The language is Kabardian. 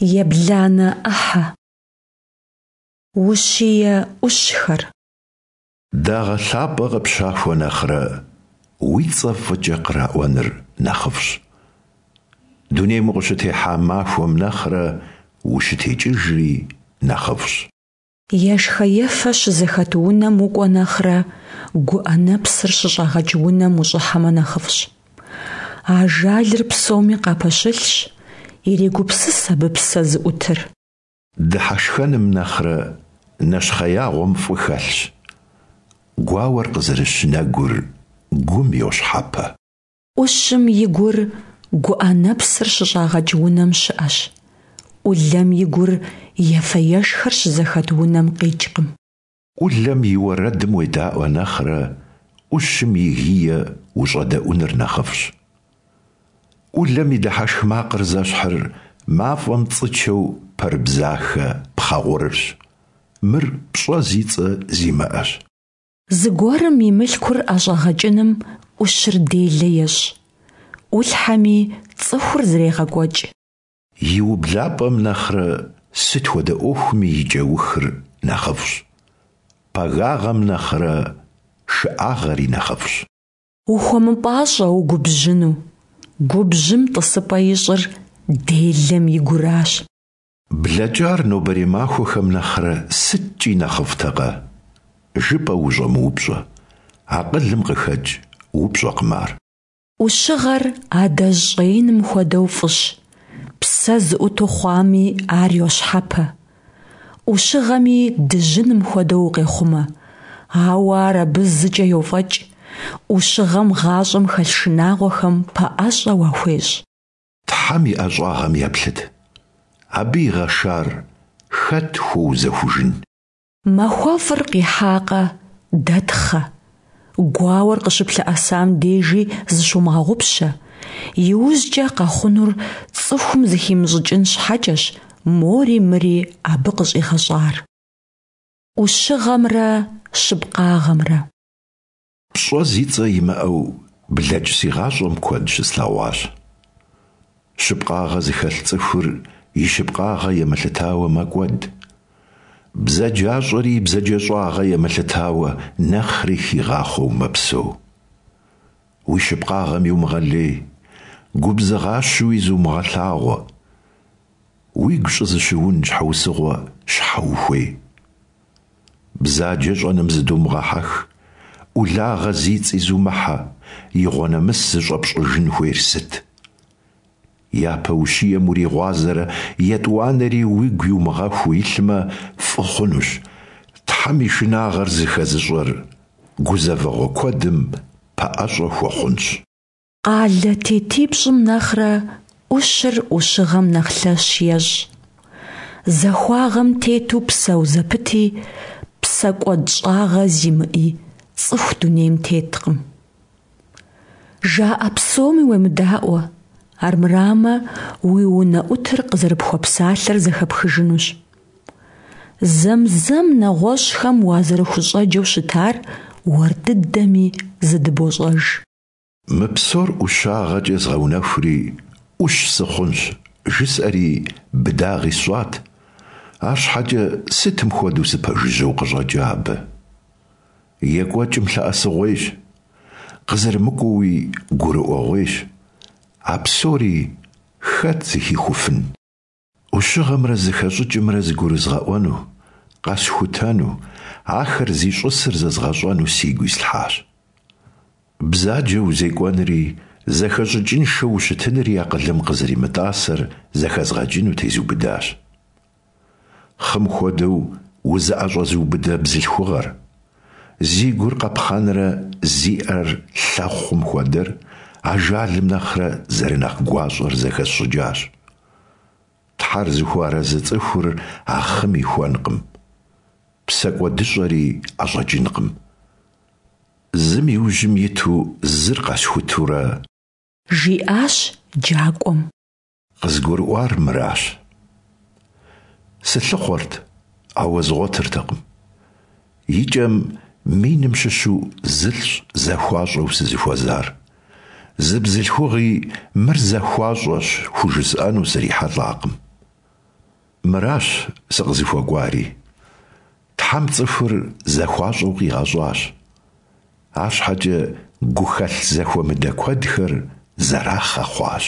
Ебланэ ӏыхьэ. Ущие ӏущхэр. Дагъэ лъапӏэ къыпщахуэ нэхърэ, уи цӏэ фӏыкӏэ къраӏуэныр нэхъыфӏщ. Дунейм укъыщытехьа махуэм нэхърэ ущытекӏыжри нэхъыфӏщ. Ешхэ-ефэ щызэхэт унэм укӏуэ нэхърэ, гуӏэ нэпсыр щыщӏагъэкӏ унэм ущӏыхьэмэ нэхъыфӏщ. Ажалыр псоми къапэщылъщ, ирегупсыс абы псэ зыӏутыр. Дыхьэшхэным нэхърэ нэщхъеягъуэм фӏы хэлъщ. Гуауэр къызэрыщ нэгур гум йощхьэпэ. Ӏущым и гур гуӏэ нэпсыр щыщӏагъэкӏ унэм щыӏэщ. ӏулэм и гур ефэ-ешхэр щызэхэт унэм къикӏкъым. ӏулэм и уэрэдым уедаӏуэ нэхърэ, ӏущым и гие ущӏэдэӏуныр нэхъыфӏщ. ӏулэм и дыхьэшх макъыр зэщхьыр мафӏэм цӏычэу пэрыбзахэ пхъэ гъурырщ. Мыр пщӏэ зи цӏэ зимыӏэщ. Зыгуэрым и мылъкур ӏэщӏэгъэкӏыным ӏущыр делэ ещӏ, ӏулъхьэми цӏыхур зрегъэкӏуэкӏ. И ублапӏэм нэхърэ сыт хуэдэ ӏуэхуми и кӏэухыр нэхъыфӏщ. Пагагъэм нэхърэ шыӏагъэри нэхъыфӏщ. Ухуэмыпӏащӏэ угубжьыну, губжьым тӏысыпӏэ ищӏыр делэм и гуращ. Блэкӏар нобэрей махуэхэм нэхърэ сыткӏи нэхъыфӏтэкъэ? Жыпӏэу ущӏэмыупщӏэ, акъылым къыхэкӏ упщӏэкъым ар. ӏущыгъэр адэжь щӏэиным хуэдэу фӏыщ, псэ зыӏуту хъуами ар йощхьэпэ. ӏущыгъэми дыжьыным хуэдэу укъехъумэ, ауэ ар абы зыкӏэ йофӏэкӏ, ӏущыгъэм гъащӏэм хэлъ шынагъуэхэм пэӏэщӏэ уахуещӏ. Тхьэм и ӏэщӏагъэм еплъыт, абы игъэшар хэт хуэузэхужын? Махуэфӏыр къихьакъэ, дэтхъэ. Гуауэр къыщыплъэӏэсам дежи зыщумыгъэгъупщэ, иужькӏэ къэхъунур цӏыхум зыхимыщӏыкӏын щхьэкӏэщ мори мыри абы къыщӏигъэщӏар. ӏущыгъэмрэ щыпкъагъэмрэ. Пщӏэ зи цӏэ имыӏэу блэкӏ си гъащӏэм куэд щыслъэгъуащ. Щыпкъагъэ зыхэлъ цӏыхур и щыпкъагъэ емылъытауэ мэкӏуэд. Бзаджащӏэри и бзаджэщӏагъэ емылъытауэ нэхъри хигъахъуэу мэпсэу. Уи щыпкъагъэм иумыгъэлей, губзыгъащэуи зумыгъэлъагъуэ. Уигу щӏызыщыун щхьэусыгъуэ щхьэ ухуей? Бзаджэ щӏэным зыдумыгъэхьэх, ӏулагъэ зи цӏи зумыхьэ, игъуэ нэмыс зыщӏэпщӏыжын хуейр сыт? Япэ ущием уригъуазэрэ етӏуанэри уигу иумыгъэхуу илъмэ, фӏы хъунущ. Тхьэм и шынагъэр зыхэзыщӏэр гузэвэгъуэ куэдым пэӏэщӏэ хуэхъунщ. Къалэ тетипщӏым нэхърэ ӏущыр ӏущыгъэм нэхъ лъэщ ещӏ. Захуагъэм тету псэу зэпыти, псэкӏуэдщӏагъэ зимыӏи цӏыху дунейм теткъым. Жаӏэ псоми уемыдаӏуэ, армырамэ, уи унэӏутыр къызэрыпхуэпсалъэр зэхэпхыжынущ. Зэм-зэм нэгъуэщӏхэм уазэрыхущӏэджэу щытар уэр дыдэми зыдыбощӏэж. Мы псор ӏущагъэкӏэ згъэунэхури, ӏущ сыхъунщ, жысӏэри быдагъи сщӏат, арщхьэкӏэ сытым хуэдэу сыпэжыжьэу къыщӏэкӏа абы. Екӏуэкӏым лъэӏэсыгъуейщ, къызэрымыкӏуэуи гурыӏуэгъуейщ, а псори хэт зыхихуфын? Ӏущыгъэмрэ зэхэщӏыкӏымрэ зыгурызгъэӏуэну, къэсхутэну, ахэр зищӏысыр зэзгъэщӏэну сигу ислъхьащ. Бзаджэу узекӏуэнри, зэхэщӏыкӏыншэу ущытынри акъылым къызэримытӏасэр зэхэзгъэкӏыну тезубыдащ. Хъым хуэдэу узыӏэщӏэзыубыдэ бзылъхугъэр, зи гур къапхъэнрэ зи ӏэр лъэхъум хуэдэр ажалым нэхърэ зэрынэхъ гуащӏэр зэхэсщӏыкӏащ. Тхьэр зыхуэарэзы цӏыхур а хъым ихуэнкъым, псэкӏуэдыщӏэри ӏэщӏэкӏынкъым. Зым и ужьым иту зыр къэсхутурэ. Жиӏащ джакӏуэм. Къызгурыӏуар мыращ. Сылъыхъуэрт, ауэ згъуэтыртэкъым. Икӏэм миным щыщу зылӏщ захуащӏэу сызыхуэзар. Зы бзылъхугъи мыр захуащӏэщ хужысӏэну срихьэлӏакъым. Мыращ сыкъызыхуэкӀуари. Тхьэм цӀыхур зэхуащӀэу къигъэщӀащ. АрщхьэкӀэ гухэлъ зэхуэмыдэ куэдхэр зэрахъэ хъуащ.